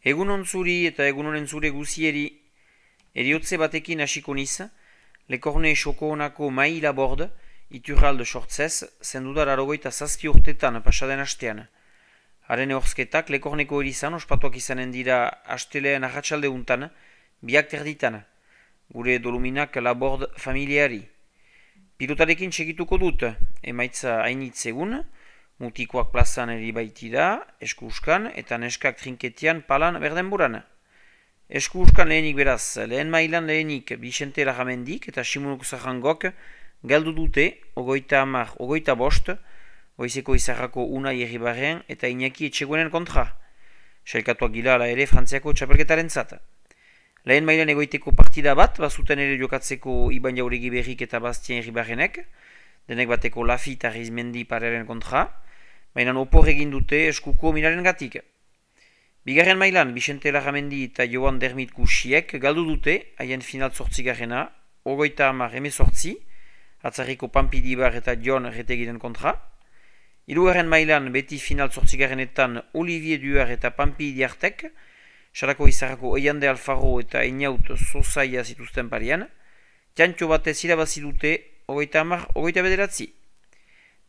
Egunon zuri eta egunonen zure guzieri, eriotze batekin hasiko niz, Lekorne xoko honako mai labord, iturralde sortzez, zendudar arogoita zazpi urtetan pasaden hastean. Haren horzketak Lekorneko erizan ospatuak izanen dira hastelean arratsalde untan, biak terditan, gure doluminak labord familiari. Pilotarekin txekituko dut, emaitza hainitz egun, mutikoak plazan eri baitira, eskuskan eta neskak trinketian palan berdenburan. Eskuskan lehenik beraz, lehen mailan lehenik Bixente Larramendik eta Simonuk Zahangok galdu dute, ogoita bost, goizeko izarrako Unai Erribarren eta Iñaki Etxeguenen kontra. Sailkatuak gila ala ere Frantziako txapelketaren zat. Lehen mailan egoiteko partida bat, bazuten ere jokatzeko Iban Jauregi Berrik eta Bastien Erribarrenek, denek bateko Lafi eta Rizmendi parearen kontra, baina opor egin dute eskuko minaren gatik. Bigarren mailan, Bixente Larramendi eta Joan Dermit Kusiek galdu dute, haien final zortzigarrena, ogoita hamar emezortzi, atzarriko Pampidibar eta John Retegiren kontra. Hirugarren mailan, beti final zortzigarrenetan Olivier Duar eta Pampidiartek, Sarako izarrako Eiande Alfaro eta Einaut Zozaia zituzten parian, txantxo batez irabazi dute, ogoita hamar, ogoita bederatzi.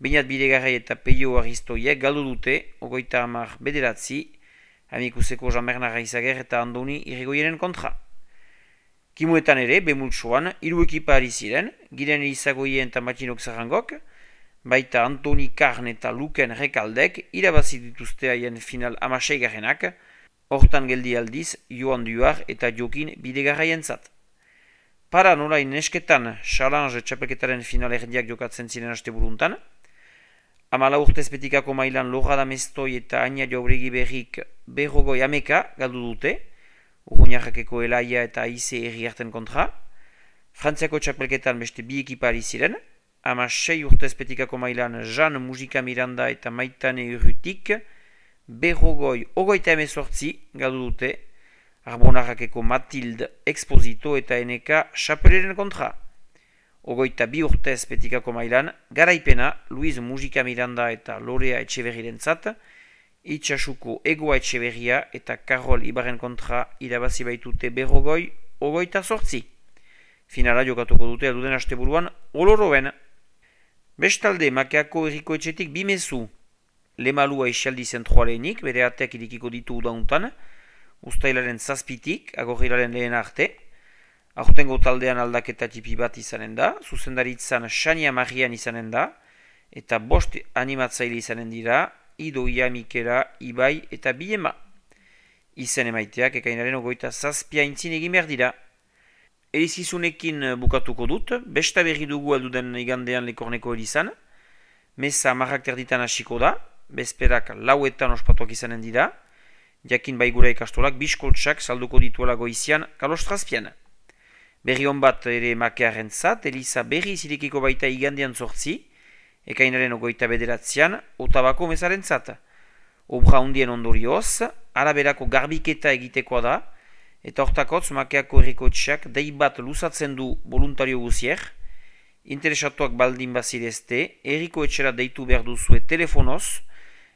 Beinat Bidegarai eta Peio Aristoiek galdu dute, ogoita hamar bederatzi, amikuseko Jean-Bernard Aizager eta Andoni Irrigoienen kontra. Kimuetan ere, bemultsoan, hiru ekipa ari ziren, Giren Elizagoien eta Matxinok Zarangok, baita Antoni Karn eta Luken Rekaldek irabazi dituzte haien final 16-garrenak, hortan geldi aldiz Joan Duar eta Jokin Bidegarraien zat. Para nolain nesketan, Challenge txapelketaren final erdiak jokatzen ziren haste buruntan, 14 urtez betikako mailan Lorada Mestoi eta Aina Jauregi Berrik berrogoi ameka galdu dute, Urruñarrakeko Elaia eta Aize Herriarten kontra. Frantziako txapelketan beste bi ekipari ziren, 16 urtez betikako mailan Jean Mujika Miranda eta Maitane Urrutik berrogoi ogoita emezortzi galdu dute, Arbonarrakeko Matilde Exposito eta Eneka Chapeleren kontra. Ogoita bi urtez betikako mailan, garaipena Luiz Mujika Miranda eta Lorea Etxeberriren zat, Itxasuko Egoa Etxeberria eta Karol Ibarren kontra irabazi baitute berrogoi, ogoita sortzi. Finala jokatuko dute alduden asteburuan oloroen. Bestalde, Makeako Herriko Etxetik bimezu. Lemalua isaldi zentroalenik, bere ateak irikiko ditu udauntan, ustailaren zazpitik, agorrilaren lehen arte. Aurtengo taldean aldaketa tipi bat izanen da, zuzendaritzan Xania Marian izanen da, eta 5 animatzaile izanen dira, Idoia, Mikela, Ibai eta Biema. Izen emaiteak ekainaren 27 aintzin egin behar dira. Erizizunekin bukatuko dut, besta berri dugu alduden igandean Lekorneko erizan, meza marrak terditan hasiko da, bezperak 4etan ospatuak izanen dira, jakin baigura ikastolak biskoltsak salduko dituela goizian kalostrazpian. Berri hon bat ere Makearen zat, Eliza berri zirekiko baita igandean 8, ekainaren 29, Otabako mezaren zat. Obra hundien ondorioz, araberako garbiketa egitekoa da, eta hortakotz Makeako herriko etxeak dei bat luzatzen du voluntario guzier, interesatuak baldin bazirezte, herriko etxera deitu behar duzue telefonoz,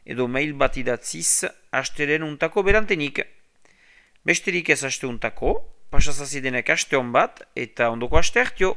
edo mail bat idatziz, hasteren untako berantenik. Besterik ez haste untako, pasazazidenek haste hon bat, eta ondoko haste hartio.